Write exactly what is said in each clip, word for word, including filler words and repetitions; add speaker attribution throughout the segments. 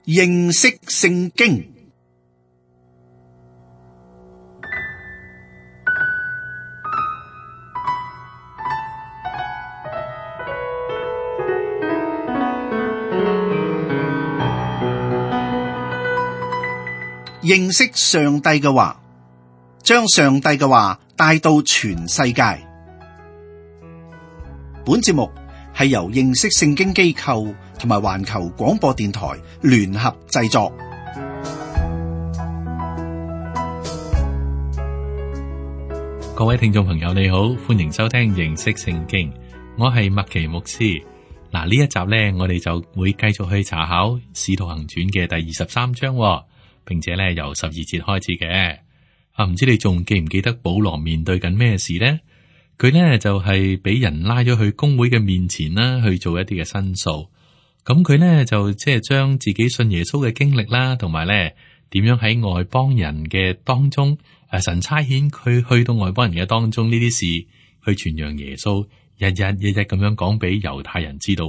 Speaker 1: 認識聖經。認識上帝嘅話，將上帝嘅話帶到全世界。本節目係由認識聖經機構同埋環球廣播電台聯合製作。
Speaker 2: 各位聽眾朋友，你好，歡迎收聽認識聖經。我係麥奇牧師。嗱，呢一集呢，我哋就會繼續去查考《使徒行傳》嘅第二十三章，並且咧由十二節開始嘅。啊，唔知你仲記唔記得保羅面對緊咩事呢？佢呢就係俾人拉咗去公會嘅面前啦，去做一啲嘅申訴。咁佢呢就即係將自己信耶穌嘅經歷啦，同埋咧點樣喺外邦人嘅當中，誒神差遣佢去到外邦人嘅當中呢啲事，去傳揚耶穌，日日日日咁樣講俾猶太人知道。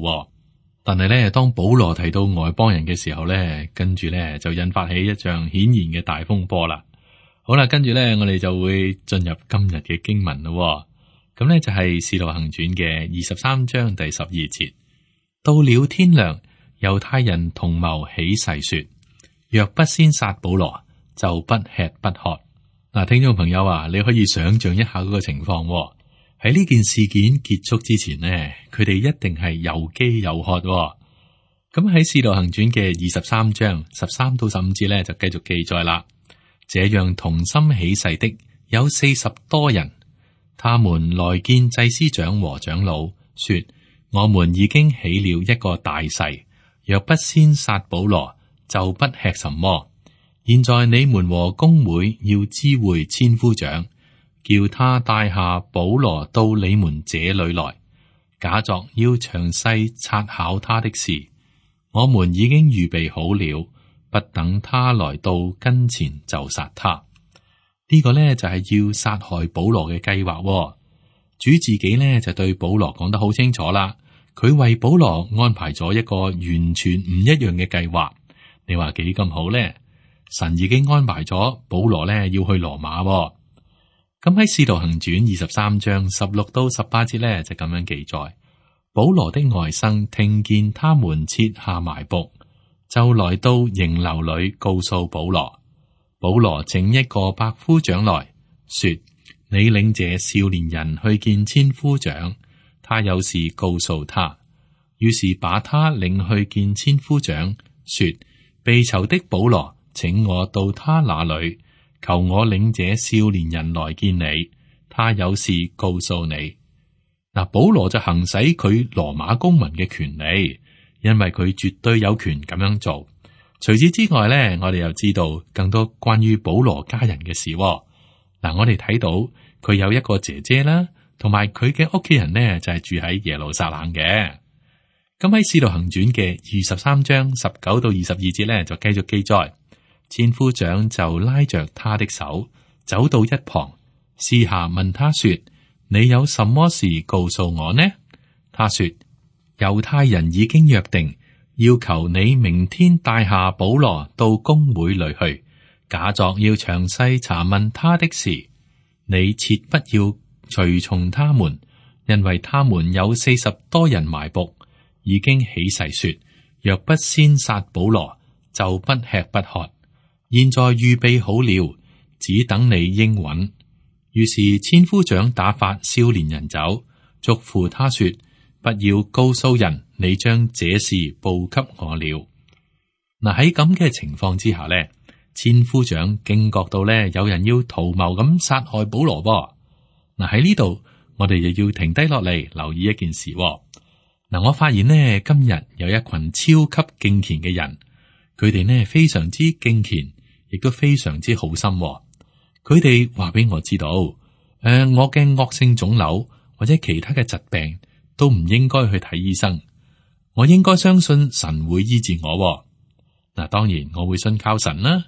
Speaker 2: 但係咧，當保羅提到外邦人嘅時候咧，跟住咧就引發起一場顯然嘅大風波啦。好啦，跟住咧我哋就會進入今日嘅經文咯。咁咧就係《使徒行傳》嘅二十三章第十二節。到了天亮，猶太人同謀起誓說：若不先殺保羅，就不吃不喝。嗱，聽眾朋友啊，你可以想象一下嗰個情況。喺呢件事件結束之前呢，佢哋一定係又飢又渴。咁喺《使徒行傳》嘅二十三章十三到十五節咧，就繼續記載啦。這樣同心起誓的有四十多人，他們來見祭司長和長老，說：我們已經起了一個大誓，若不先殺保羅，就不吃什麼。現在你們和公會要知會千夫長，叫他帶下保羅到你們這裏來，假作要詳細察考他的事。我們已經預備好了，不等他來到跟前就殺他。呢、這個呢，就係、是、要殺害保羅嘅計劃。主自己呢，就對保羅講得好清楚啦，佢為保羅安排咗一個完全唔一樣嘅計劃。你話幾咁好呢？神已經安排咗保羅呢要去羅馬。咁喺《使徒行傳》二十三章十六到十八節咧，就咁樣記載：保羅的外甥聽見他們設下埋伏，就來到營樓裏告訴保羅。保羅請一個百夫長來說：你領這少年人去見千夫長，他有事告訴他。於是把他領去見千夫長，說：被囚的保羅，請我到他那裏。求我領這少年人來見你，他有事告訴你。嗱，保羅就行使佢羅馬公民嘅權利，因為佢絕對有權咁樣做。除此之外咧，我哋又知道更多關於保羅家人嘅事。嗱，我哋睇到佢有一個姐姐啦，同埋佢嘅屋企人呢，就係住喺耶路撒冷嘅。咁喺《使徒行傳》嘅二十三章十九到二十二節咧，就繼續記載。千夫長就拉着他的手，走到一旁，私下問他說：你有什麼事告訴我呢？他說：猶太人已經約定，要求你明天帶下保羅到公會裏去，假作要詳細查問他的事。你切不要隨從他們，因為他們有四十多人埋伏，已經起誓說：若不先殺保羅，就不吃不喝。現在預備好了，只等你應允。於是千夫長打發少年人走，囑咐他說：不要告訴人，你將這事報給我了。嗱，喺咁嘅情況之下咧，千夫長驚覺到咧有人要圖謀咁殺害保羅噃。嗱，喺呢度我哋又要停低落嚟留意一件事。嗱，我發現呢，今日有一群超級敬虔嘅人，佢哋呢非常之敬虔。亦都非常之好心。佢哋話俾我知道，誒、呃，我嘅惡性腫瘤或者其他嘅疾病都唔應該去睇醫生，我應該相信神會醫治我。嗱，當然我會信靠神啦，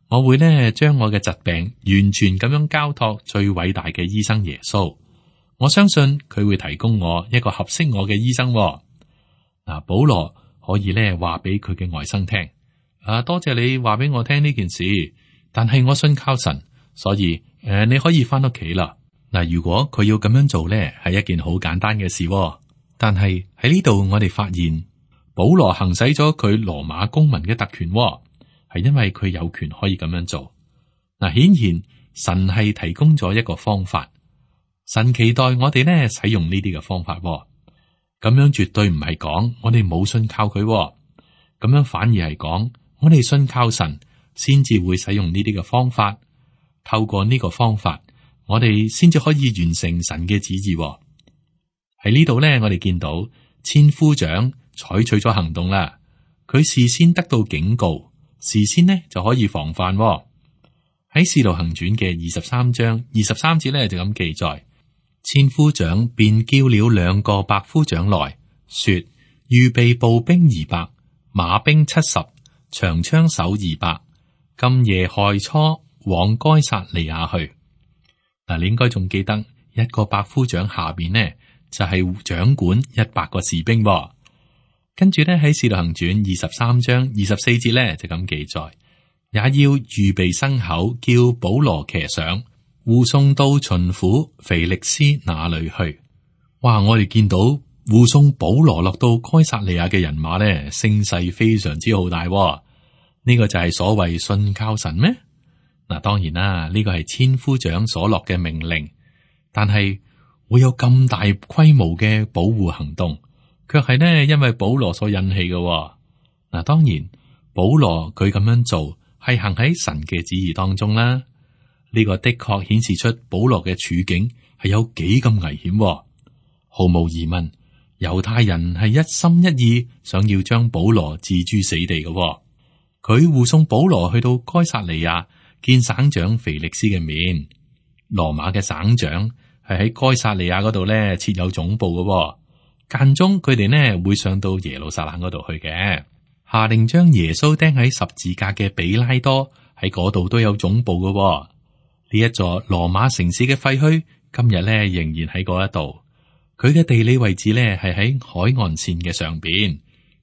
Speaker 2: 我會呢將我嘅疾病完全咁樣交託最偉大嘅醫生耶穌，我相信佢會提供我一個合適我嘅醫生。嗱，保羅可以呢話俾佢嘅外甥聽。啊，多謝你話俾我聽呢件事，但係我信靠神，所以誒、呃，你可以翻屋企啦。嗱，如果佢要咁樣做咧，係一件好簡單嘅事、哦。但係喺呢度，我哋發現保羅行使咗佢羅馬公民嘅特權、哦，係因為佢有權可以咁樣做。嗱，顯然神係提供咗一個方法，神期待我哋咧使用呢啲嘅方法、哦。咁樣絕對唔係講我哋冇信靠佢、哦，咁樣反而係講我哋信靠神，先至會使用呢啲嘅方法。透過呢個方法，我哋先至可以完成神嘅旨意、哦。喺呢度咧，我哋見到千夫長採取咗行動啦。佢事先得到警告，事先呢就可以防範、哦。喺《使徒行傳》嘅二十三章二十三節咧就咁記載，千夫長便叫了兩個百夫長來說：預備步兵二百，馬兵七十，長槍手二百，今夜亥初往該撒利亞去。嗱，你應該仲記得一個百夫長下邊呢？就係掌管一百個士兵、哦，跟住咧喺《使徒行傳》二十三章二十四節咧就咁記載，也要預備牲口，叫保羅騎上，護送到巡撫腓力斯那裏去。哇！我哋見到護送保羅落到該撒利亞嘅人馬咧，聲勢非常之浩大、哦。呢、這個就係所謂信靠神咩？嗱，當然啦，呢、這個係千夫長所落嘅命令，但係。會有咁大規模嘅保護行動，卻係呢因為保羅所引起嘅、哦。嗱，當然保羅佢咁樣做係行喺神嘅旨意當中啦。呢、這個的確顯示出保羅嘅處境係有幾咁危險、哦。毫無疑問，猶太人係一心一意想要將保羅置諸死地嘅、哦。佢護送保羅去到該撒利亞見省長腓力斯嘅面，羅馬嘅省長。係喺該撒利亞嗰度咧設有總部嘅、哦，間中佢哋呢會上到耶路撒冷嗰度去嘅。下令將耶穌釘喺十字架嘅比拉多喺嗰度都有總部嘅、哦。呢一座羅馬城市嘅廢墟，今日咧仍然喺嗰一度。佢嘅地理位置咧係喺海岸線嘅上邊，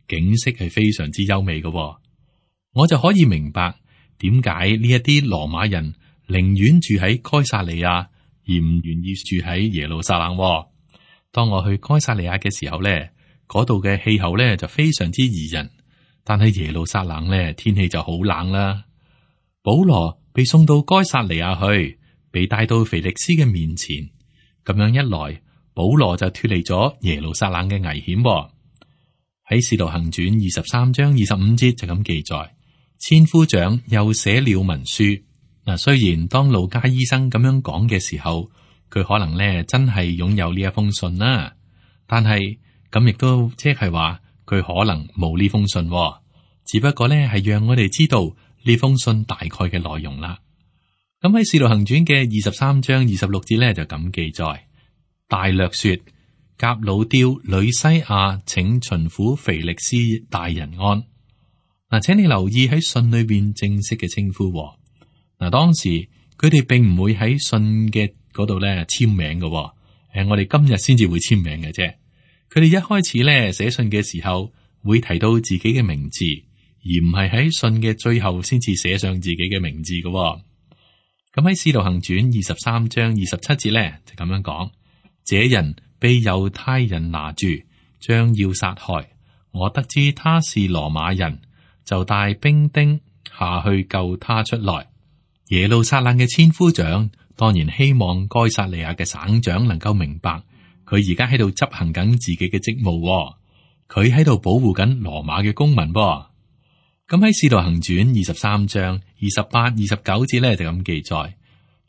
Speaker 2: 景色係非常之優美嘅、哦。我就可以明白點解呢一啲羅馬人寧願住喺該撒利亞。而唔願意住喺耶路撒冷、哦。當我去該撒利亞嘅時候咧，嗰度嘅氣候咧就非常之宜人，但係耶路撒冷咧天氣就好冷啦。保羅被送到該撒利亞去，被帶到腓力斯嘅面前，咁樣一來，保羅就脫離咗耶路撒冷嘅危險、哦。喺《使徒行傳》二十三章二十五節就咁記載，千夫長又寫了文書。嗱，雖然當路加醫生咁樣講嘅時候，佢可能咧真係擁有呢一封信啦，但係咁亦都即係話佢可能冇呢封信、哦，只不過咧係讓我哋知道呢封信大概嘅內容啦。咁喺《使徒行傳》嘅二十三章二十六節咧就咁記載，大略說，革老丟、呂西亞請巡撫腓力斯大人安。嗱，請你留意喺信裏邊正式嘅稱呼、哦。嗱，當時佢哋並唔會喺信嘅嗰度咧簽名嘅、哦，誒，我哋今日先至會簽名嘅啫。佢哋一開始咧寫信嘅時候會提到自己嘅名字，而唔係喺信嘅最後先至寫上自己嘅名字嘅、哦。咁喺《使徒行傳》二十三章二十七節咧就咁樣講：這人被猶太人拿住，將要殺害。我得知他是羅馬人，就帶兵丁下去救他出來。耶路撒冷嘅千夫長當然希望該撒利亞嘅省長能夠明白，佢而家喺度執行緊自己嘅職務、哦，佢喺度保護緊羅馬嘅公民、哦。咁喺《使徒行傳》二十三章二十八、二十九節咧就咁記載：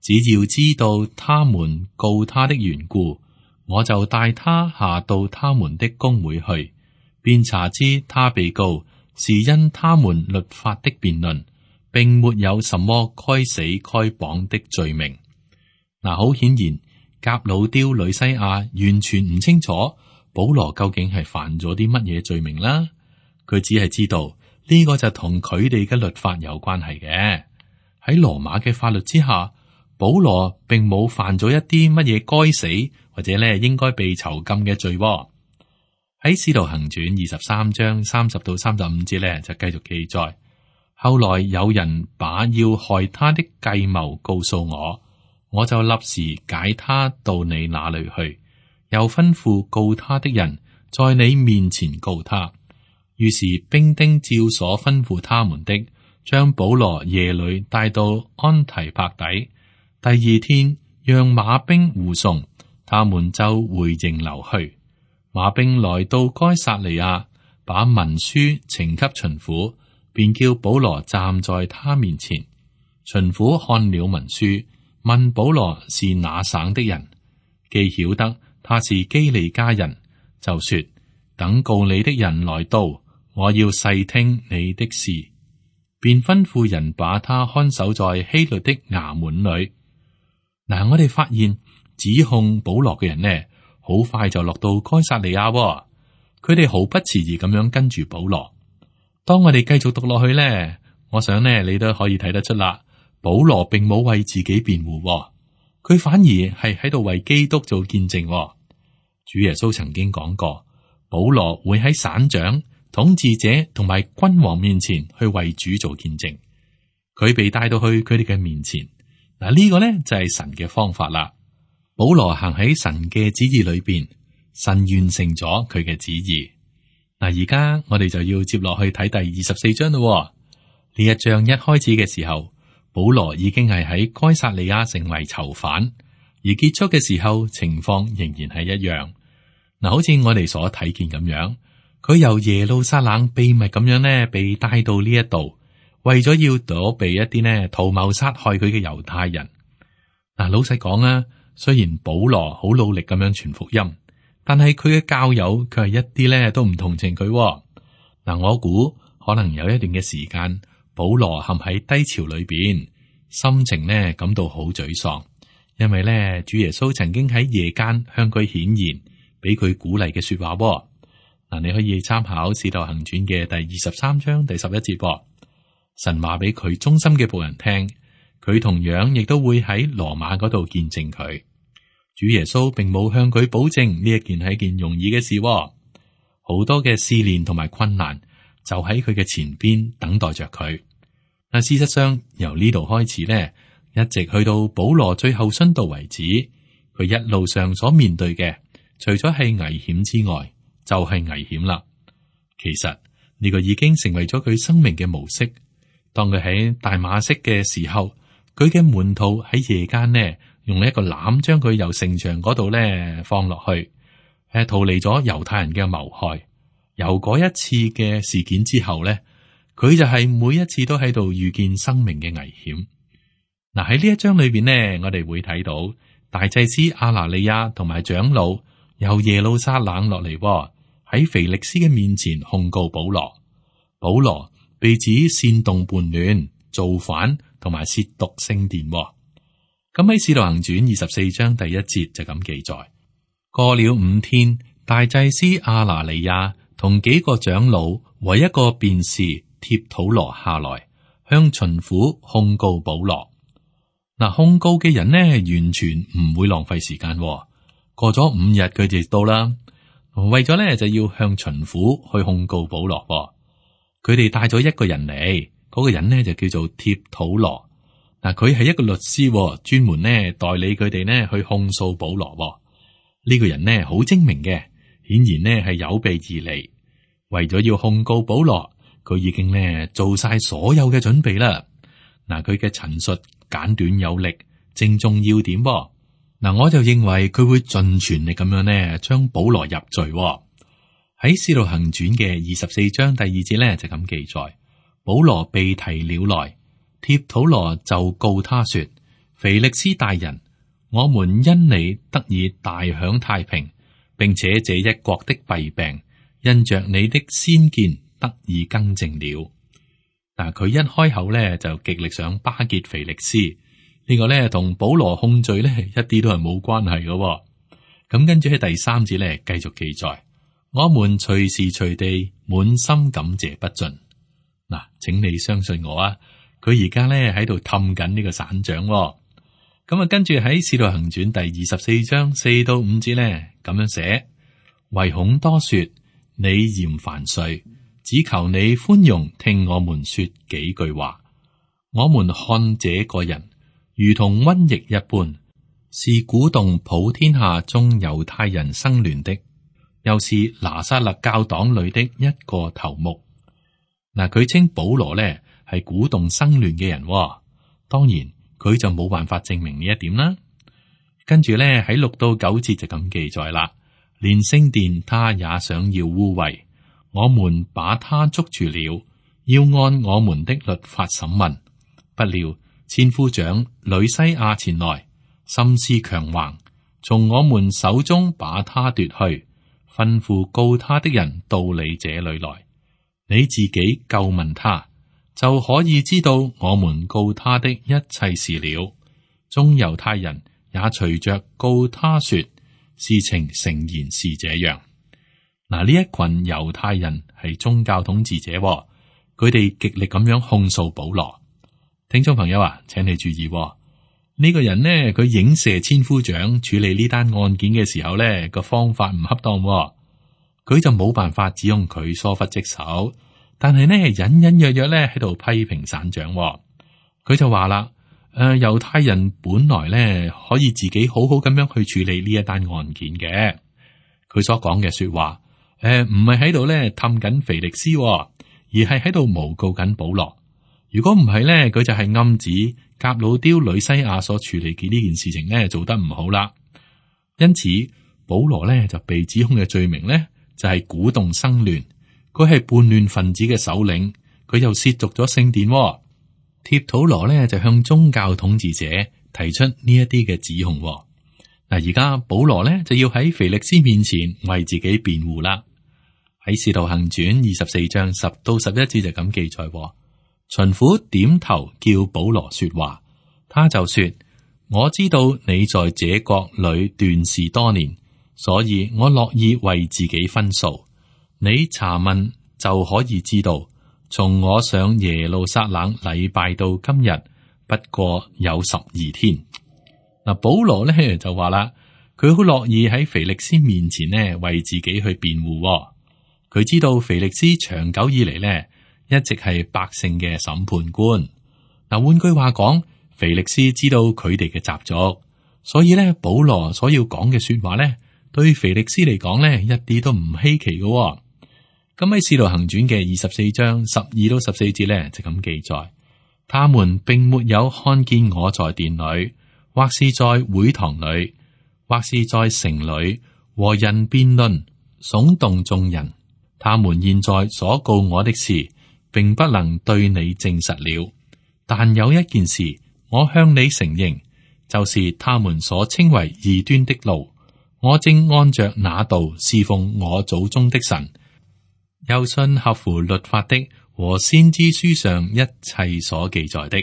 Speaker 2: 只要知道他們告他的緣故，我就帶他下到他們的公會去，便查知他被告是因他們律法的辯論，並沒有什麼該死該綁的罪名。嗱，好顯然，革老丟、呂西亞完全唔清楚保羅究竟係犯咗啲乜嘢罪名啦。佢只係知道呢個就同佢哋嘅律法有關係嘅。喺羅馬嘅法律之下，保羅並冇犯咗一啲乜嘢該死或者咧應該被囚禁嘅罪。喺《使徒行傳》二十三章三十到三十五節咧就繼續記載。後來有人把要害他的計謀告訴我，我就立時解他到你那裏去，又吩咐告他的人在你面前告他。於是兵丁照所吩咐他們的，將保羅夜裏帶到安提帕底。第二天，讓馬兵護送，他們就回營樓去。馬兵來到該撒利亞，把文書呈給巡撫，便叫保羅站在他面前。巡撫看了文書，問保羅是哪省的人，既曉得他是基利家人，就說：等告你的人來到，我要細聽你的事。便吩咐人把他看守在希律的衙門裏。嗱，我哋發現指控保羅嘅人呢，好快就落到該撒利亞，佢哋毫不遲疑咁樣跟住保羅。當我哋繼續讀落去呢，我想呢，你都可以睇得出啦。保羅並冇為自己辯護，佢反而係喺度為基督做見證。主耶穌曾經講過，保羅會喺省長、統治者同埋君王面前去為主做見證。佢被帶到去佢哋嘅面前，嗱，呢個呢就係神嘅方法啦。保羅行喺神嘅旨意裏邊，神完成咗佢嘅旨意。嗱，而家我哋就要接落去睇第二十四章咯。呢一章一開始嘅時候，保羅已經係喺該撒利亞成為囚犯，而結束嘅時候情況仍然係一樣。嗱，好似我哋所睇見咁樣，佢由耶路撒冷秘密咁樣呢被帶到呢一度，為咗要躲避一啲呢圖謀殺害佢嘅猶太人。嗱，老實講啊，雖然保羅好努力咁樣傳福音，但係佢嘅教友佢係一啲咧都唔同情佢。嗱，我估可能有一段嘅時間，保羅陷喺低潮裏邊，心情呢感到好沮喪，因為咧主耶穌曾經喺夜間向佢顯現，俾佢鼓勵嘅說話。嗱，你可以參考《使徒行傳》嘅第二十三章第十一節。神話俾佢忠心嘅僕人聽，佢同樣亦都會喺羅馬嗰度見證佢。主耶穌並冇向佢保證呢一件係一件容易嘅事，好多嘅試煉同埋困難就喺佢嘅前邊等待着佢。嗱，事實上由呢度開始呢，一直去到保羅最後殉道為止，佢一路上所面對嘅，除咗係危險之外，就係危險啦。其實呢個已經成為咗佢生命嘅模式。當佢喺大馬色嘅時候，佢嘅門徒喺夜間呢，用一個籃將佢由城牆嗰度咧放落去，誒，逃離咗猶太人嘅謀害。由嗰一次嘅事件之後咧，佢就係每一次都喺度遇見生命嘅危險。嗱，喺呢一章裏邊呢，我哋會睇到大祭司亞拿尼亞同埋長老由耶路撒冷落嚟，喺腓力斯嘅面前控告保羅。保羅被指煽動叛亂、造反同埋褻瀆聖殿。咁喺《使徒行傳》二十四章第一節就咁記載：過了五天，大祭司亞拿尼亞同幾個長老和一個辯士帖土羅下來，向巡撫控告保羅。嗱，控告嘅人呢，完全唔會浪費時間。過咗五日，佢哋到啦，為咗呢就要向巡撫去控告保羅。佢哋帶咗一個人嚟，嗰、那個人呢就叫做帖土羅。嗱，佢係一個律師，專門呢代理佢哋呢去控訴保羅。呢、這個人呢好精明嘅，顯然呢係有備而嚟，為咗要控告保羅，佢已經呢做晒所有嘅準備啦。嗱，佢嘅陳述簡短有力，正中要點。嗱，我就認為佢會盡全力咁樣呢將保羅入罪。喺《使徒行傳》嘅二十四章第二節咧就咁記載，保羅被提了來，帖土羅就告他說：腓力斯大人，我們因你得以大享太平，並且這一國的弊病因着你的先見得以更正了。嗱，佢一開口咧就極力想巴結腓力斯，呢、這個咧同保羅控罪咧一啲都係冇關係嘅。咁跟住喺第三節咧繼續記載。我們隨時隨地滿心感謝不盡。嗱，請你相信我啊，佢而家咧喺度氹緊呢個省長。咁啊，跟住喺《使徒行傳》第二十四章四到五節咧咁樣寫：唯恐多說你嫌煩稅，只求你寬容聽我們說幾句話。我們看這個人如同瘟疫一般，是鼓動普天下眾猶太人生亂的，又是拿撒勒教黨裏的一個頭目。嗱，佢稱保羅呢係鼓動生亂嘅人，哦，當然佢就冇辦法證明呢一點啦。跟住呢喺六到九節就咁記載啦，連聖殿他也想要污穢，我們把他捉住了，要按我們的律法審問。不料千夫長呂西亞前來，心思強橫，從我們手中把他奪去，吩咐告他的人到你這裏來，你自己究問他，就可以知道我們告他的一切事了。眾猶太人也隨着告他說，事情誠然是這樣。嗱，呢一群猶太人係宗教統治者，佢哋極力咁樣控訴保羅。聽眾朋友啊，請你注意，呢個人呢，佢影射千夫長處理呢單案件嘅時候呢個方法唔恰當，佢就冇辦法指控佢疏忽職守，但係呢隱隱約約咧喺度批評省長。佢就話啦，誒、呃，猶太人本來咧可以自己好好咁樣去處理呢一單案件嘅。佢所講嘅說話，誒、呃，唔係喺度咧氹緊腓力斯，而係喺度誣告緊保羅。如果唔係咧，佢就係暗指革老丟呂西亞所處理嘅呢件事情咧做得唔好啦。因此，保羅咧就被指控嘅罪名咧就係鼓動生亂，佢係叛亂分子嘅首領，佢又褻瀆咗聖殿。帖土羅咧就向宗教統治者提出呢一啲嘅指控。嗱，而家保羅咧就要喺腓力斯面前為自己辯護啦。喺使徒行傳二十四章十到十一節就咁記載。巡撫點頭叫保羅說話，他就說：我知道你在這國裏斷事多年，所以我樂意為自己分數。你查問就可以知道，從我上耶路撒冷禮拜到今日，不過有十二天。嗱，保羅咧就話啦，佢好樂意喺腓力斯面前呢為自己去辯護。佢知道腓力斯長久以嚟呢，一直係百姓嘅審判官。嗱，換句話講，腓力斯知道佢哋嘅習俗，所以咧，保羅所要講嘅說話咧，對腓力斯嚟講咧，一啲都唔稀奇嘅，哦。咁喺《使徒行傳》嘅二十四章十二到十四節咧，就咁記載：他們並沒有看見我在殿裏，或是在會堂裏，或是在城裏和人辯論，聳動眾人。他們現在所告我的事，並不能對你證實了，但有一件事我向你承認，就是他們所稱為異端的路，我正按着那道侍奉我祖宗的神，又信合乎律法的和先知書上一切所記載的。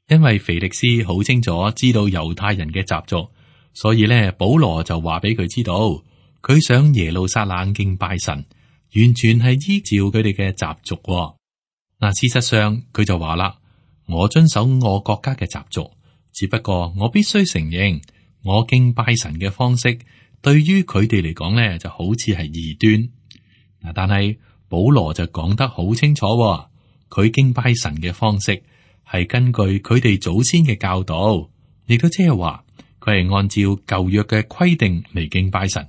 Speaker 2: 因為腓力斯好清楚知道猶太人嘅習俗，所以咧保羅就話俾佢知道，佢上耶路撒冷敬拜神，完全係依照佢哋嘅習俗。嗱，事實上佢就話啦，我遵守我國家嘅習俗，只不過我必須承認，我敬拜神嘅方式對於佢哋嚟講咧就好似係異端。嗱，但係保羅就講得好清楚，佢敬拜神嘅方式係根據佢哋祖先嘅教導，亦都即係話佢係按照舊約嘅規定嚟敬拜神。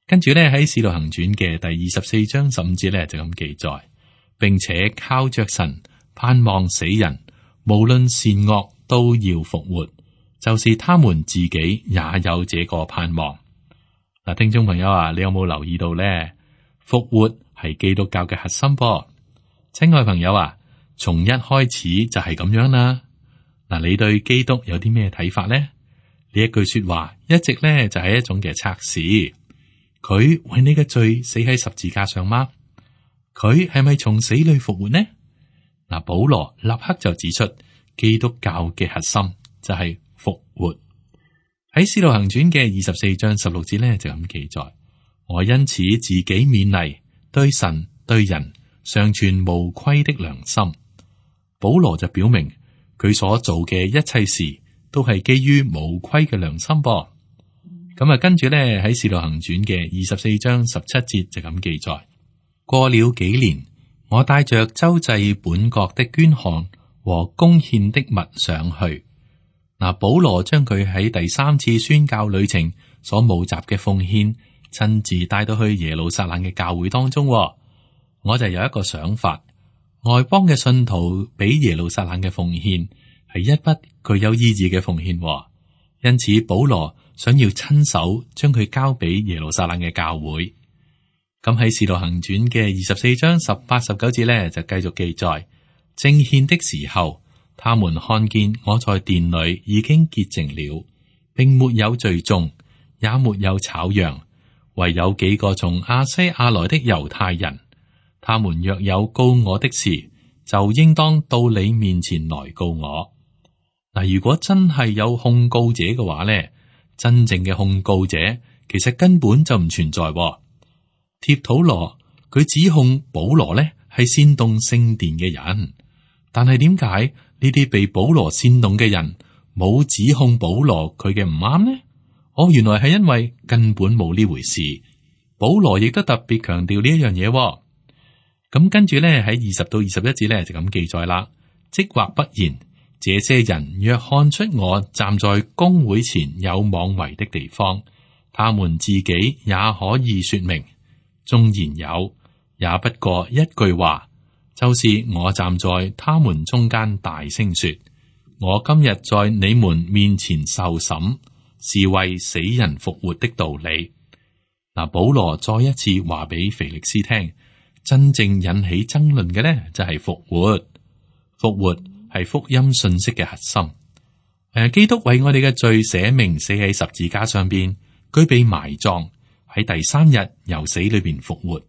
Speaker 2: 跟住咧喺《使徒行傳》嘅第二十四章十五節咧就咁記載。並且靠着神盼望死人，無論善惡都要復活，就是他們自己也有這個盼望。嗱，聽眾朋友啊，你有冇留意到咧？復活係基督教嘅核心噃。親愛朋友啊，從一開始就係咁樣啦。嗱，你對基督有啲咩睇法咧？呢一句說話一直咧就係一種嘅測試。佢為你嘅罪死喺十字架上嗎？佢係咪從死裏復活呢？嗱，保羅立刻就指出基督教嘅核心就係復活。喺《使徒行傳》嘅二十四章十六節咧就咁記載：我因此自己勉勵，對神對人常存無虧的良心。保羅就表明佢所做嘅一切事都係基於無虧嘅良心噃。咁啊，跟住咧喺《使徒行傳》嘅二十四章十七節就咁記載。過了幾年，我帶着周濟本國的捐項和貢獻的物上去。嗱，保羅將佢喺第三次宣教旅程所募集嘅奉獻，親自帶到去耶路撒冷嘅教會當中。我就有一個想法，外邦嘅信徒俾耶路撒冷嘅奉獻係一筆具有意義嘅奉獻，因此保羅想要親手將佢交俾耶路撒冷嘅教會。咁喺《使徒行傳》嘅二十四章十八、十九節咧，就繼續記載，正獻的時候，他們看見我在殿裏已經潔淨了，並沒有聚眾，也沒有吵嚷，唯有幾個從亞西亞來的猶太人。他們若有告我的事，就應當到你面前來告我。嗱，如果真係有控告者嘅話咧，真正嘅控告者其實根本就唔存在。帖土羅佢指控保羅咧係煽動聖殿嘅人，但係點解呢啲被保羅煽動嘅人冇指控保羅佢嘅唔啱呢？哦，原來係因為根本冇呢回事。保羅亦都特別強調呢一樣嘢。咁跟住咧喺二十到二十一節咧就咁記載啦。即或不然，這些人若看出我站在公會前有妄為的地方，他們自己也可以說明。縱然有，也不過一句話，就是我站在他們中間大聲說：我今日在你們面前受審，是為死人復活的道理。嗱，保羅再一次話俾腓力斯聽，真正引起爭論嘅呢，就係復活。復活係福音信息嘅核心。誒，基督為我哋嘅罪捨命，死喺十字架上邊，佢被埋葬。喺第三日由死裏邊復活。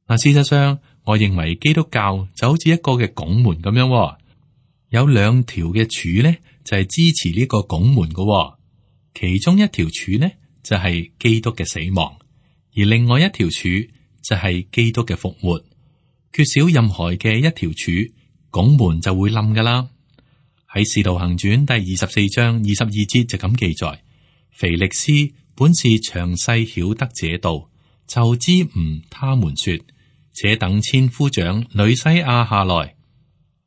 Speaker 2: 嗱，事實上，我認為基督教就好似一個嘅拱門咁樣，有兩條嘅柱咧，就係支持呢個拱門嘅。其中一條柱呢，就係基督嘅死亡，而另外一條柱就係基督嘅復活。缺少任何嘅一條柱，拱門就會冧噶啦。喺《使徒行傳》第二十四章二十二節就咁記載：腓力斯本是詳細曉得這道，就知誤他們說，且等千夫長呂西亞下來，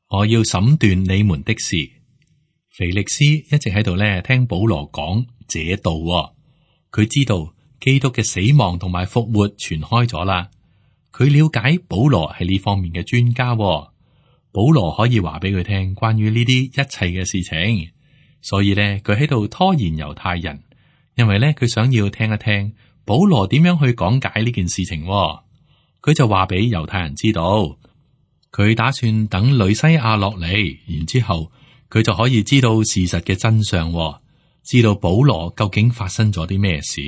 Speaker 2: 我要審斷你們的事。腓力斯一直喺度咧聽保羅講這道，佢知道基督嘅死亡同埋復活傳開咗啦。佢了解保羅係呢方面嘅專家，保羅可以話俾佢聽關於呢啲一切嘅事情，所以咧佢喺度拖延猶太人。因為咧，佢想要聽一聽保羅點樣去講解呢件事情，佢就話俾猶太人知道，佢打算等呂西亞落嚟，然之後佢就可以知道事實嘅真相，知道保羅究竟發生咗啲咩事。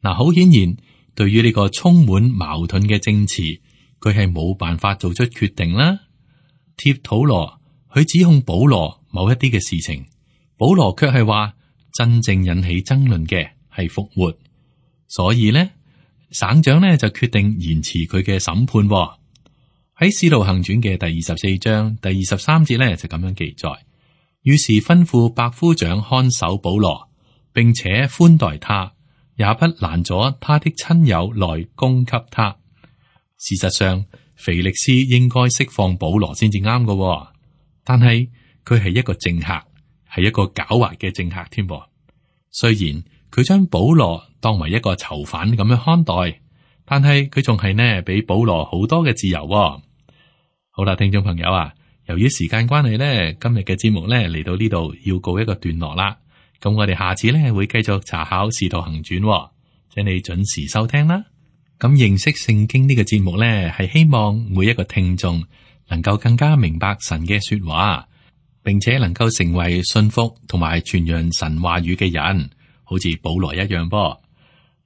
Speaker 2: 嗱，好顯然，對於呢個充滿矛盾嘅證詞，佢係冇辦法做出決定啦。帖土羅佢指控保羅某一啲嘅事情，保羅卻係話，真正引起爭論嘅係復活，所以呢，省長呢就決定延遲佢嘅審判。喺《使徒行傳》嘅第二十四章第二十三節呢就咁樣記載，於是吩咐百夫長看守保羅，並且寬待他，也不攔阻他的親友來供給他。事實上，腓力斯應該釋放保羅先至啱嘅，但係佢係一個政客。係一個狡猾嘅政客添噃。雖然佢將保羅當為一個囚犯咁樣看待，但係佢仲係呢俾保羅好多嘅自由。好啦，聽眾朋友啊，由於時間關係呢，今日嘅節目呢嚟到呢度要告一個段落啦。咁我哋下次呢會繼續查考《使徒行傳》，請你準時收聽啦。咁認識聖經呢個節目呢，係希望每一個聽眾能夠更加明白神嘅說話，並且能夠成為信服同埋傳揚神話語嘅人，好似保羅一樣噃。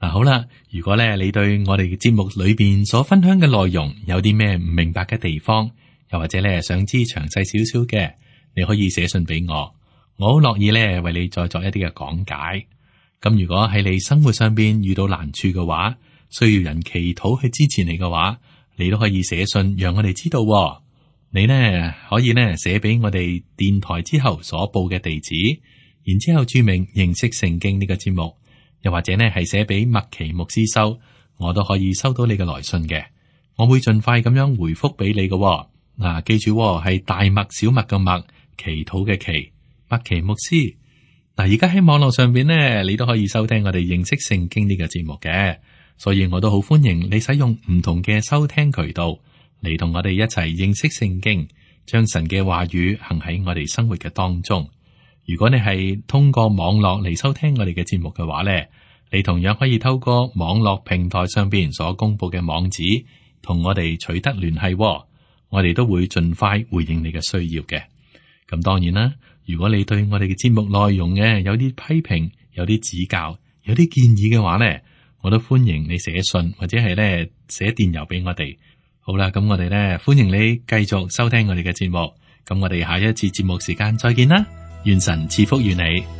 Speaker 2: 嗱，好啦，如果咧你對我哋嘅節目裏邊所分享嘅內容有啲咩唔明白嘅地方，又或者咧想知詳細少少嘅，你可以寫信俾我，我好樂意咧為你再作一啲嘅講解。咁如果喺你生活上邊遇到難處嘅話，需要人祈禱去支持你嘅話，你都可以寫信讓我哋知道。你呢可以呢寫俾我哋電台之後所報嘅地址，然之後注明認識聖經呢個節目，又或者呢係寫俾麥奇牧師收，我都可以收到你嘅來信嘅。我會盡快咁樣回覆俾你嘅喎。嗱、啊，記住喎，係大麥小麥嘅麥，祈禱嘅祈，麥奇牧師。嗱，而家喺網絡上邊呢，你都可以收聽我哋認識聖經呢個節目嘅，所以我都好歡迎你使用唔同嘅收聽渠道嚟同我哋一齊認識聖經，將神嘅話語行喺我哋生活嘅當中。如果你係通過網絡嚟收聽我哋嘅節目嘅話呢，你同樣可以透過網絡平台上邊所公布嘅網址同我哋取得聯繫喎，我哋都會盡快回應你嘅需要嘅。咁當然啦，如果你對我哋嘅節目內容嘅有啲批評、有啲指教、有啲建議嘅話呢，我都歡迎你寫信或者係咧寫電郵俾我哋。好啦，咁我哋咧歡迎你繼續收聽我哋嘅節目。咁我哋下一次節目時間再見啦，願神賜福於你。